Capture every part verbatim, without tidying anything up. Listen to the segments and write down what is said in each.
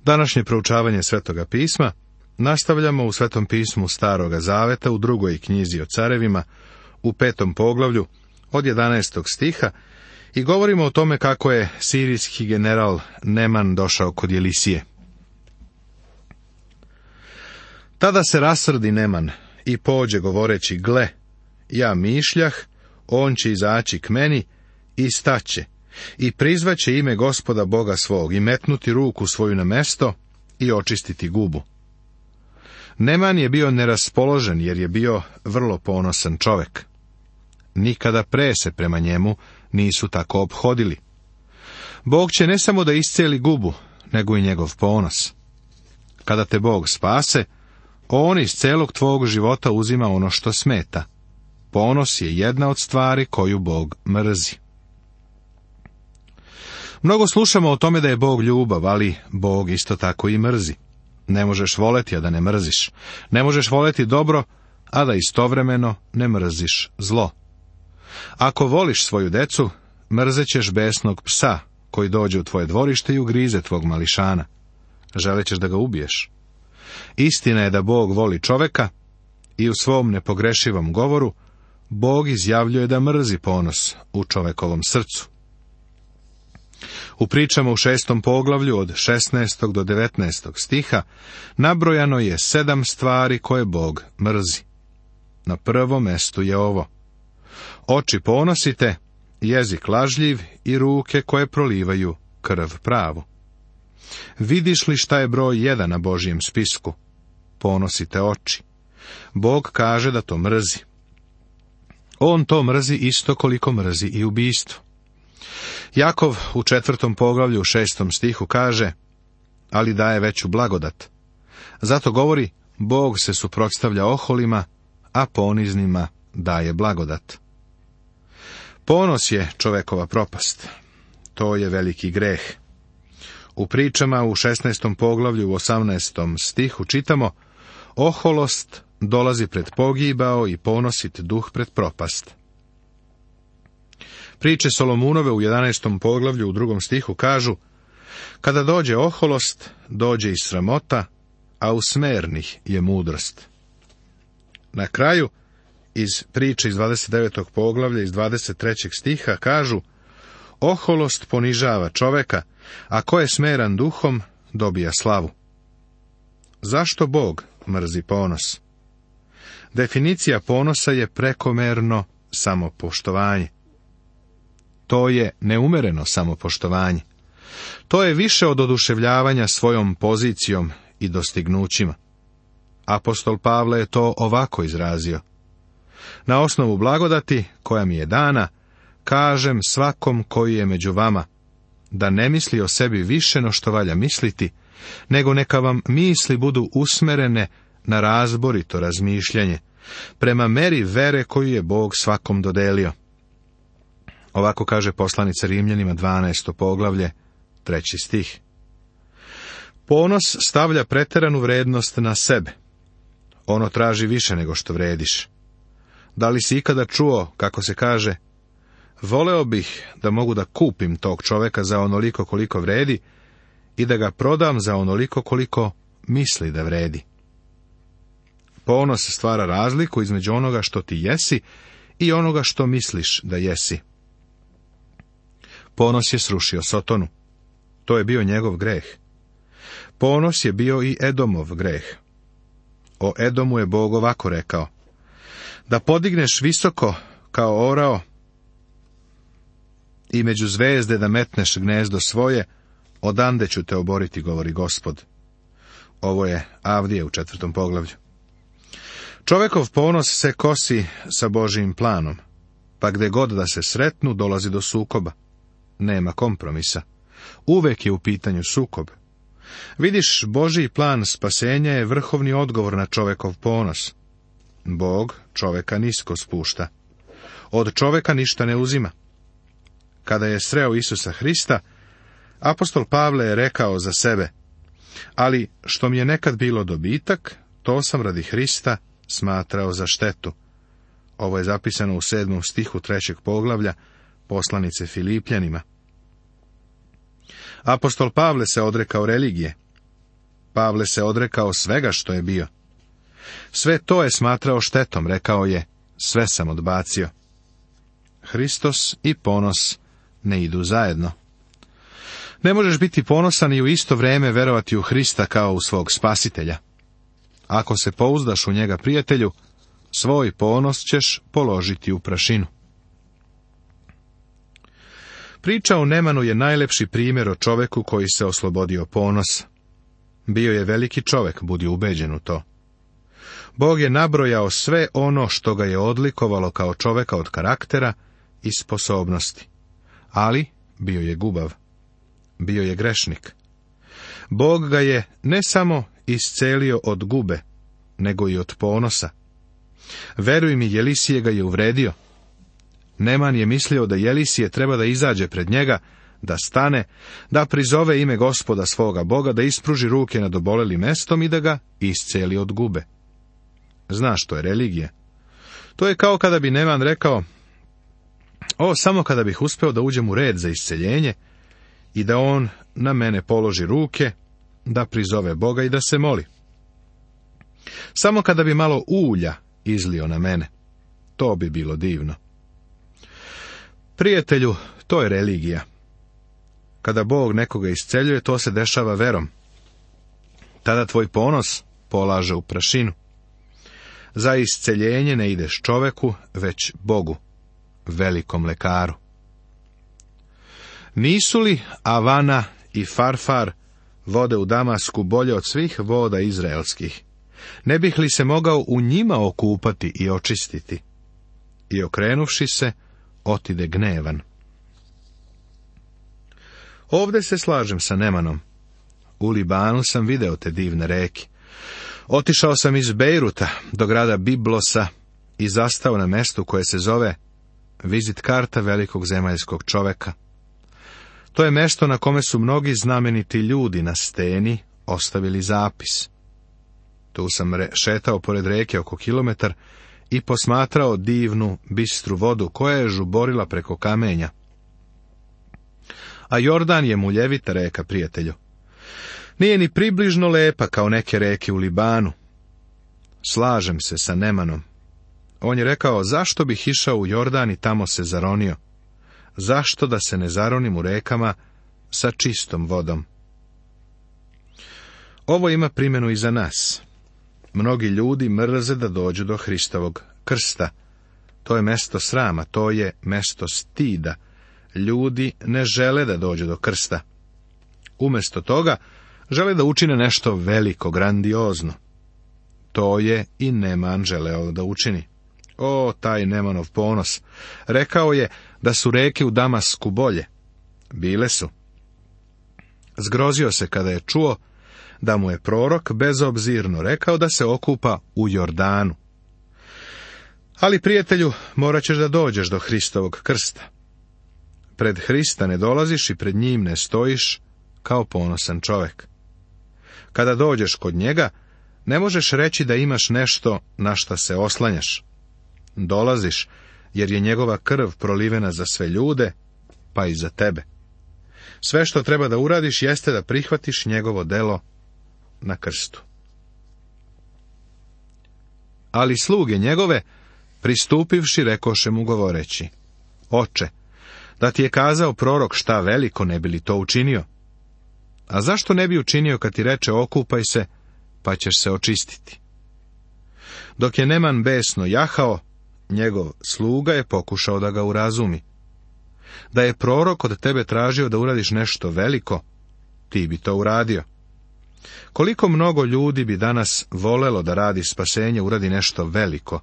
Današnje proučavanje Svetoga pisma nastavljamo u Svetom pismu Staroga zaveta u drugoj knjizi o carevima, u petom poglavlju, od jedanaestog stiha, i govorimo o tome kako je sirijski general Neman došao kod Jelisije. Tada se rasrdi Neman i pođe govoreći: gle, ja mišljah, on će izaći k meni i staće, i prizvaće ime Gospoda Boga svog, i metnuti ruku svoju na mesto i očistiti gubu. Neman je bio neraspoložen, jer je bio vrlo ponosan čovek. Nikada pre se prema njemu nisu tako ophodili. Bog će ne samo da isceli gubu, nego i njegov ponos. Kada te Bog spase, on iz celog tvog života uzima ono što smeta. Ponos je jedna od stvari koju Bog mrzi. Mnogo slušamo o tome da je Bog ljubav, ali Bog isto tako i mrzi. Ne možeš voleti, a da ne mrziš. Ne možeš voleti dobro, a da istovremeno ne mrziš zlo. Ako voliš svoju decu, mrzećeš besnog psa koji dođe u tvoje dvorište i ugrize tvog mališana. Želećeš da ga ubiješ. Istina je da Bog voli čoveka i u svom nepogrešivom govoru Bog izjavljuje da mrzi ponos u čovekovom srcu. U pričama u šestom poglavlju od šesnaestog do devetnaestog stiha nabrojano je sedam stvari koje Bog mrzi. Na prvom mestu je ovo: oči ponosite, jezik lažljiv i ruke koje prolivaju krv pravu. Vidiš li šta je broj jedan na Božjem spisku? Ponosite oči. Bog kaže da to mrzi. On to mrzi isto koliko mrzi i ubijstvo. Jakov u četvrtom poglavlju u šestom stihu kaže: ali daje veću blagodat. Zato govori: Bog se suprotstavlja oholima, a poniznima daje blagodat. Ponos je čovekova propast. To je veliki greh. U pričama u šesnaestom poglavlju u osamnaestom stihu čitamo: oholost dolazi pred pogibao i ponosit duh pred propast. Priče Solomunove u jedanaestom poglavlju u drugom stihu kažu: kada dođe oholost, dođe i sramota, a u smernih je mudrost. Na kraju, iz priče iz dvadeset devetog poglavlja iz dvadeset trećeg stiha kažu: oholost ponižava čoveka, a ko je smeran duhom, dobija slavu. Zašto Bog mrzi ponos? Definicija ponosa je prekomerno samopoštovanje. To je neumereno samopoštovanje. To je više od oduševljavanja svojom pozicijom i dostignućima. Apostol Pavle je to ovako izrazio: na osnovu blagodati koja mi je dana, kažem svakom koji je među vama, da ne misli o sebi više no što valja misliti, nego neka vam misli budu usmerene na razborito razmišljanje, prema meri vere koju je Bog svakom dodelio. Ovako kaže poslanica Rimljanima, dvanaesto poglavlje, treći stih. Ponos stavlja preteranu vrednost na sebe. Ono traži više nego što vrediš. Da li si ikada čuo, kako se kaže: voleo bih da mogu da kupim tog čoveka za onoliko koliko vredi i da ga prodam za onoliko koliko misli da vredi. Ponos stvara razliku između onoga što ti jesi i onoga što misliš da jesi. Ponos je srušio Sotonu. To je bio njegov greh. Ponos je bio i Edomov greh. O Edomu je Bog ovako rekao: da podigneš visoko kao orao i među zvezde da metneš gnezdo svoje, odande ću te oboriti, govori Gospod. Ovo je Avdije u četvrtom poglavlju. Čovekov ponos se kosi sa Božijim planom, pa gde god da se sretnu dolazi do sukoba. Nema kompromisa. Uvek je u pitanju sukob. Vidiš, Božiji plan spasenja je vrhovni odgovor na čovekov ponos. Bog čoveka nisko spušta. Od čoveka ništa ne uzima. Kada je sreo Isusa Hrista, apostol Pavle je rekao za sebe: ali što mi je nekad bilo dobitak, to sam radi Hrista smatrao za štetu. Ovo je zapisano u sedmom stihu trećeg poglavlja poslanice Filipljanima. Apostol Pavle se odrekao religije. Pavle se odrekao svega što je bio. Sve to je smatrao štetom, rekao je, sve sam odbacio. Hristos i ponos ne idu zajedno. Ne možeš biti ponosan i u isto vrijeme verovati u Hrista kao u svog spasitelja. Ako se pouzdaš u njega, prijatelju, svoj ponos ćeš položiti u prašinu. Priča o Nemanu je najlepši primjer o čoveku koji se oslobodio ponosa. Bio je veliki čovek, budi ubeđen u to. Bog je nabrojao sve ono što ga je odlikovalo kao čoveka od karaktera i sposobnosti. Ali bio je gubav. Bio je grešnik. Bog ga je ne samo iscelio od gube, nego i od ponosa. Veruj mi, Jelisije ga je uvredio. Neman je mislio da Jelisije treba da izađe pred njega, da stane, da prizove ime Gospoda svoga Boga, da ispruži ruke nad obolelim mestom i da ga isceli od gube. Znaš što je religija? To je kao kada bi Neman rekao, o, samo kada bih uspeo da uđem u red za isceljenje i da on na mene položi ruke, da prizove Boga i da se moli. Samo kada bi malo ulja izlio na mene, to bi bilo divno. Prijatelju, to je religija. Kada Bog nekoga isceljuje, to se dešava verom. Tada tvoj ponos polaže u prašinu. Za isceljenje ne ideš čoveku, već Bogu, velikom lekaru. Nisu li Avana i Farfar vode u Damasku bolje od svih voda izraelskih? Ne bih li se mogao u njima okupati i očistiti? I okrenuvši se, otide gnevan. Ovde se slažem sa Nemanom. U Libanu sam video te divne reke. Otišao sam iz Bejruta do grada Biblosa i zastao na mestu koje se zove vizit karta velikog zemaljskog čoveka. To je mesto na kome su mnogi znameniti ljudi na steni ostavili zapis. Tu sam re- šetao pored reke oko kilometar i posmatrao divnu, bistru vodu koja je žuborila preko kamenja. A Jordan je muljevita reka, prijatelju. Nije ni približno lepa kao neke reke u Libanu. Slažem se sa Nemanom. On je rekao, zašto bih išao u Jordan i tamo se zaronio? Zašto da se ne zaronim u rekama sa čistom vodom? Ovo ima primjenu i za nas. Mnogi ljudi mrze da dođu do Hristovog krsta. To je mesto srama, to je mesto stida. Ljudi ne žele da dođu do krsta. Umjesto toga, žele da učine nešto veliko, grandiozno. To je i Neman želeo da učini. O, taj Nemanov ponos! Rekao je da su reke u Damasku bolje. Bile su. Zgrozio se kada je čuo da mu je prorok bezobzirno rekao da se okupa u Jordanu. Ali, prijatelju, morat ćeš da dođeš do Hristovog krsta. Pred Hrista ne dolaziš i pred njim ne stojiš kao ponosan čovek. Kada dođeš kod njega, ne možeš reći da imaš nešto na šta se oslanjaš. Dolaziš, jer je njegova krv prolivena za sve ljude, pa i za tebe. Sve što treba da uradiš jeste da prihvatiš njegovo delo na krstu. Ali sluge njegove, pristupivši, rekoše mu govoreći, Oče, da ti je kazao prorok šta veliko, ne bi li to učinio? A zašto ne bi učinio kad ti reče okupaj se, pa ćeš se očistiti? Dok je Neman besno jahao, njegov sluga je pokušao da ga urazumi. Da je prorok od tebe tražio da uradiš nešto veliko, ti bi to uradio. Koliko mnogo ljudi bi danas volelo da radi spasenje, uradi nešto veliko.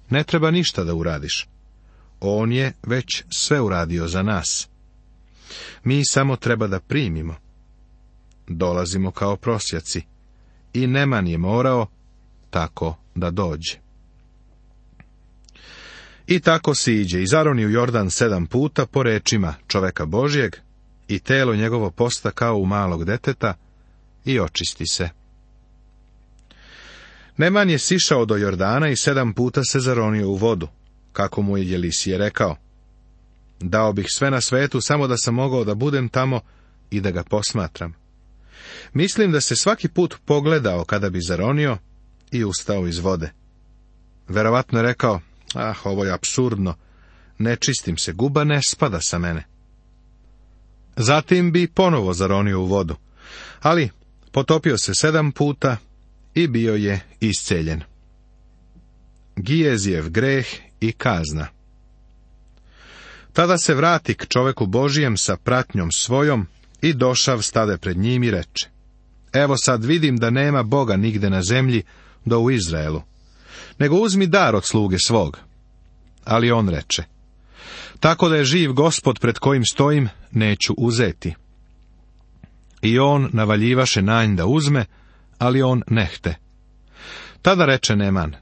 Ne treba ništa da uradiš. On je već sve uradio za nas. Mi samo treba da primimo. Dolazimo kao prosjaci. I Neman je morao tako da dođe. I tako si iđe i zaroni u Jordan sedam puta po rečima čoveka Božjeg i telo njegovo posta kao u malog deteta i očisti se. Neman je sišao do Jordana i sedam puta se zaronio u vodu, kako mu je Jelisije rekao. Dao bih sve na svetu samo da sam mogao da budem tamo i da ga posmatram. Mislim da se svaki put pogledao kada bi zaronio i ustao iz vode. Verovatno je rekao, ah, ovo je apsurdno, ne čistim se, guba ne spada sa mene. Zatim bi ponovo zaronio u vodu, ali potopio se sedam puta i bio je isceljen. Gijezijev greh i kazna. Tada se vrati k čoveku Božijem sa pratnjom svojom i došav stade pred njim i reče, evo sad vidim da nema Boga nigde na zemlji do u Izraelu, nego uzmi dar od sluge svog. Ali on reče, tako da je živ Gospod pred kojim stojim, neću uzeti. I on navaljivaše na nj da uzme, ali on nehte. Tada reče Neman,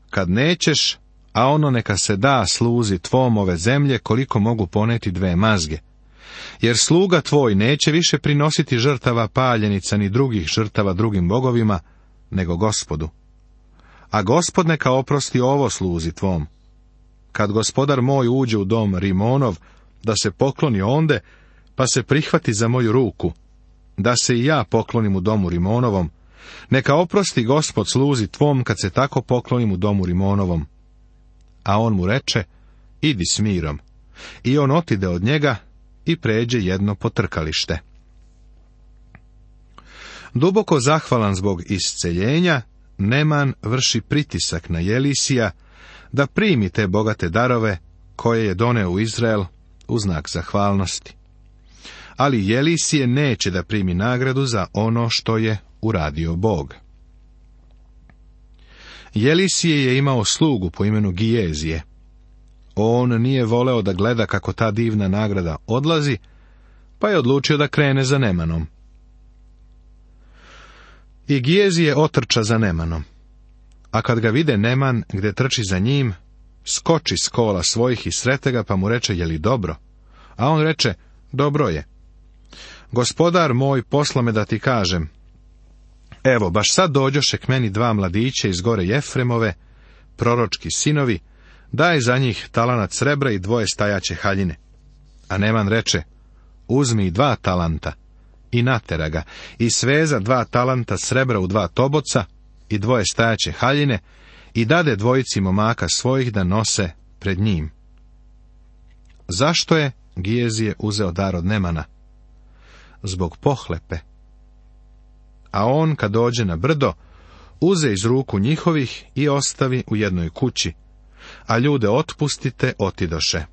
kad nećeš, a ono neka se da sluzi tvom ove zemlje koliko mogu poneti dve mazge. Jer sluga tvoj neće više prinositi žrtava paljenica ni drugih žrtava drugim bogovima, nego Gospodu. A Gospod neka oprosti ovo sluzi tvom. Kad gospodar moj uđe u dom Rimonov, da se pokloni onde, pa se prihvati za moju ruku, da se i ja poklonim u domu Rimonovom, neka oprosti Gospod sluzi tvom kad se tako poklonim u domu Rimonovom. A on mu reče, idi s mirom. I on otide od njega i pređe jedno potrkalište. Duboko zahvalan zbog isceljenja, Neman vrši pritisak na Jelisija da primi te bogate darove koje je doneo u Izrael u znak zahvalnosti. Ali Jelisije neće da primi nagradu za ono što je uradio Bog. Jelisije je imao slugu po imenu Gijezije. On nije voleo da gleda kako ta divna nagrada odlazi, pa je odlučio da krene za Nemanom. I Gijezije otrča za Nemanom. A kad ga vide Neman gde trči za njim, skoči s kola svojih i srete ga, pa mu reče, je li dobro? A on reče, dobro je. Gospodar moj posla me da ti kažem, evo, baš sad dođoše k meni dva mladića iz gore Jefremove, proročki sinovi, daj za njih talanat srebra i dvoje stajaće haljine. A Neman reče, uzmi dva talanta, i natera ga, i sveza dva talanta srebra u dva toboca, i dvoje stajaće haljine, i dade dvojici momaka svojih da nose pred njim. Zašto je Gijezije uzeo dar od Nemana? Zbog pohlepe. A on, kad dođe na brdo, uze iz ruku njihovih i ostavi u jednoj kući, a ljude otpustite otidoše.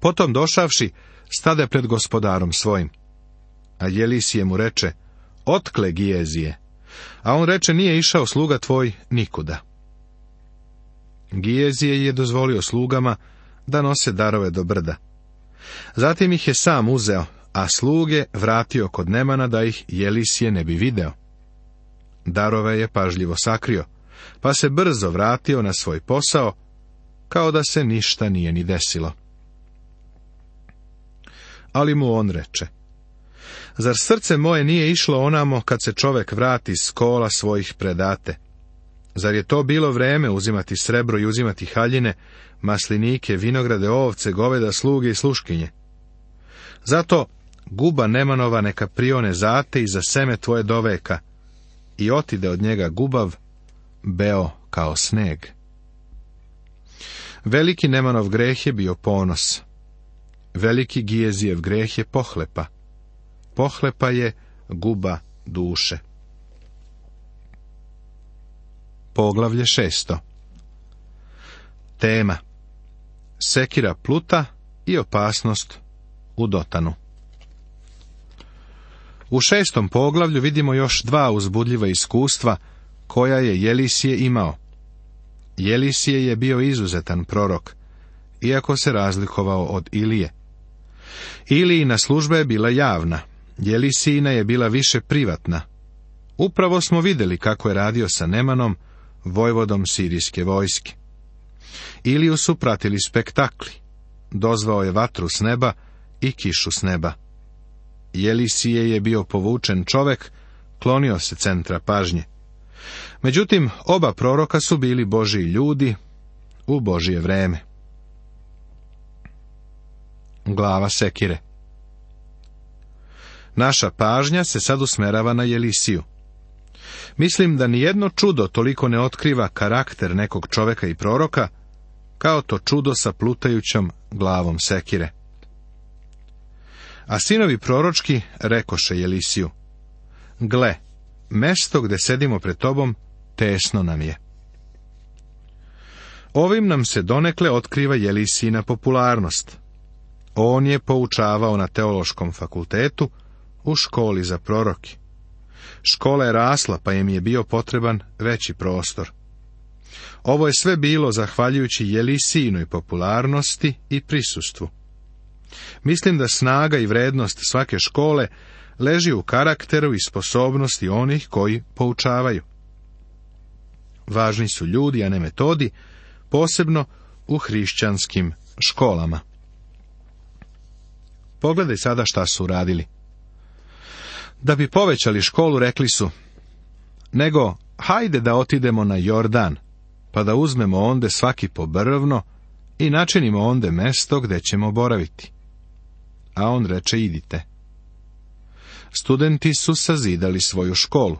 Potom došavši, stade pred gospodarom svojim. A Jelisije mu reče, otkle Gijezije? A on reče, nije išao sluga tvoj nikuda. Gijezije je dozvolio slugama da nose darove do brda. Zatim ih je sam uzeo, a sluge vratio kod Nemana da ih Jelisije ne bi video. Darove je pažljivo sakrio, pa se brzo vratio na svoj posao, kao da se ništa nije ni desilo. Ali mu on reče, zar srce moje nije išlo onamo kad se čovek vrati s kola svojih predate? Zar je to bilo vreme uzimati srebro i uzimati haljine, maslinike, vinograde, ovce, goveda, sluge i sluškinje? Zato guba Nemanova neka prione zate i za seme tvoje doveka, i otide od njega gubav, beo kao sneg. Veliki Nemanov greh je bio ponos. Veliki Gijezijev greh je pohlepa. Pohlepa je guba duše. Poglavlje šesto. Tema: sekira Pluta i opasnost u Dotanu. U šestom poglavlju vidimo još dva uzbudljiva iskustva koja je Jelisije imao. Jelisije je bio izuzetan prorok, iako se razlikovao od Ilije. Ilijina služba je bila javna, Jelisijina je bila više privatna. Upravo smo vidjeli kako je radio sa Nemanom, vojvodom sirijske vojske. Iliju su pratili spektakli. Dozvao je vatru s neba i kišu s neba. Jelisije je bio povučen čovek, klonio se centra pažnje. Međutim, oba proroka su bili Božji ljudi u Božje vreme. Glava sekire. Naša pažnja se sad usmerava na Jelisiju. Mislim da nijedno čudo toliko ne otkriva karakter nekog čoveka i proroka, kao to čudo sa plutajućom glavom sekire. A sinovi proročki rekoše Jelisiju: gle, mesto gde sedimo pred tobom, tesno nam je. Ovim nam se donekle otkriva Jelisijina popularnost. On je poučavao na teološkom fakultetu, u školi za proroki. Škola je rasla, pa im je bio potreban veći prostor. Ovo je sve bilo zahvaljujući Jelisijinoj popularnosti i prisustvu. Mislim da snaga i vrednost svake škole leži u karakteru i sposobnosti onih koji poučavaju. Važni su ljudi, a ne metodi, posebno u hrišćanskim školama. Pogledaj sada šta su uradili. Da bi povećali školu, rekli su: nego, hajde da otidemo na Jordan, pa da uzmemo onde svaki po brvno i načinimo onde mesto gde ćemo boraviti. A on reče: idite. Studenti su sazidali svoju školu.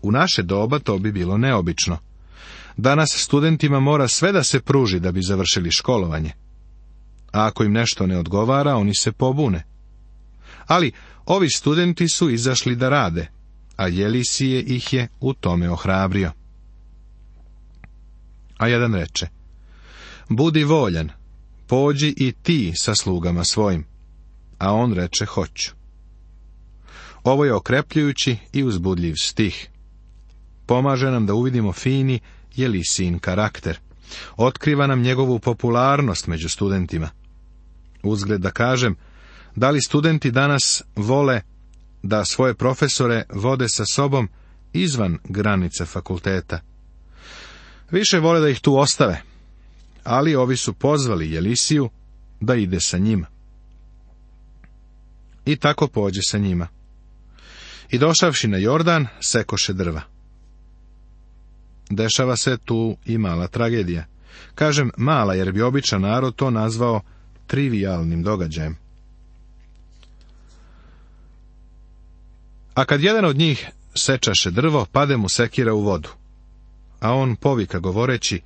U naše doba to bi bilo neobično. Danas studentima mora sve da se pruži da bi završili školovanje. A ako im nešto ne odgovara, oni se pobune. Ali ovi studenti su izašli da rade, a Jelisije ih je u tome ohrabrio. A jedan reče: budi voljan, pođi i ti sa slugama svojim. A on reče: hoću. Ovo je okrepljujući i uzbudljiv stih. Pomaže nam da uvidimo fini Jelisijin karakter. Otkriva nam njegovu popularnost među studentima. Uzgled da kažem, da li studenti danas vole da svoje profesore vode sa sobom izvan granica fakulteta? Više vole da ih tu ostave, ali ovi su pozvali Jelisiju da ide sa njima. I tako pođe sa njima. I došavši na Jordan, sekoše drva. Dešava se tu i mala tragedija. Kažem mala, jer bi običan narod to nazvao trivijalnim događajem. A kad jedan od njih sečaše drvo, pade mu sekira u vodu. A on povika govoreći: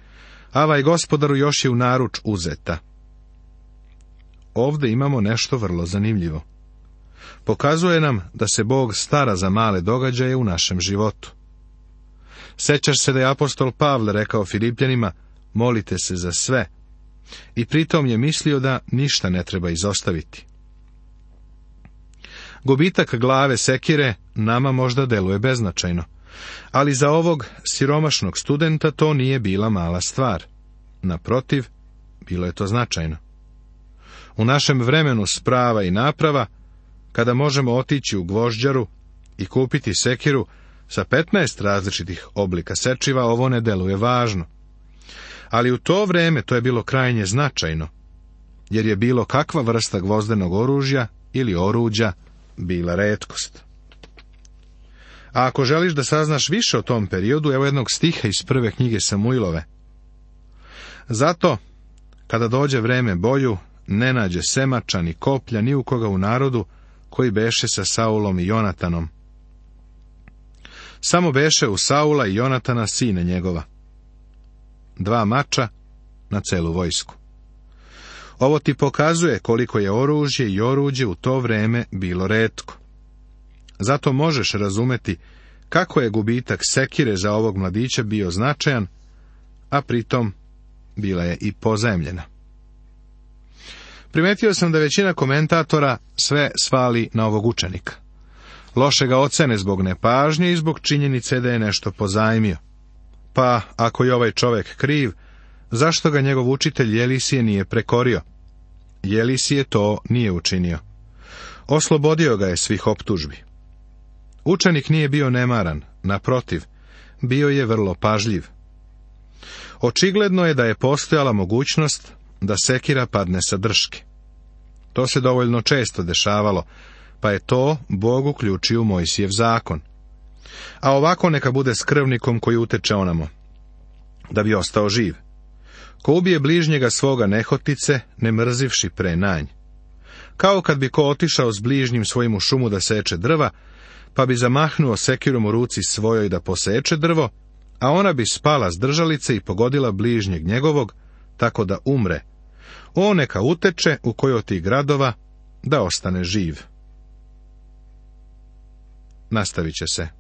avaj gospodaru, još je u naruč uzeta. Ovde imamo nešto vrlo zanimljivo. Pokazuje nam da se Bog stara za male događaje u našem životu. Sećaš se da je apostol Pavle rekao Filipljanima: molite se za sve. I pritom je mislio da ništa ne treba izostaviti. Gubitak glave sekire nama možda deluje beznačajno, ali za ovog siromašnog studenta to nije bila mala stvar. Naprotiv, bilo je to značajno. U našem vremenu sprava i naprava, kada možemo otići u gvožđaru i kupiti sekiru sa petnaest različitih oblika sečiva, ovo ne deluje važno. Ali u to vreme to je bilo krajnje značajno, jer je bilo kakva vrsta gvozdenog oružja ili oruđa bila retkost. A ako želiš da saznaš više o tom periodu, evo jednog stiha iz prve knjige Samuilove. Zato, kada dođe vreme boju, ne nađe semača ni koplja ni u koga u narodu koji beše sa Saulom i Jonatanom. Samo beše u Saula i Jonatana sine njegova. Dva mača na celu vojsku. Ovo ti pokazuje koliko je oružje i oruđe u to vreme bilo retko. Zato možeš razumeti kako je gubitak sekire za ovog mladića bio značajan, a pritom bila je i pozajmljena. Primetio sam da većina komentatora sve svali na ovog učenika. Loše ga ocene zbog nepažnje i zbog činjenice da je nešto pozajmio. Pa, ako je ovaj čovjek kriv, zašto ga njegov učitelj Jelisije nije prekorio? Jelisije to nije učinio. Oslobodio ga je svih optužbi. Učenik nije bio nemaran, naprotiv, bio je vrlo pažljiv. Očigledno je da je postojala mogućnost da sekira padne sa drške. To se dovoljno često dešavalo, pa je to Bog uključio u Mojsijev zakon. A ovako neka bude s krvnikom koji uteče onamo, da bi ostao živ. Ko ubije bližnjega svoga nehotice, ne mrzivši pre nanj. Kao kad bi ko otišao s bližnjim svojim u šumu da seče drva, pa bi zamahnuo sekirom u ruci svojoj da poseče drvo, a ona bi spala s držalice i pogodila bližnjeg njegovog, tako da umre. On neka uteče u koji od tih gradova da ostane živ. Nastavit će se.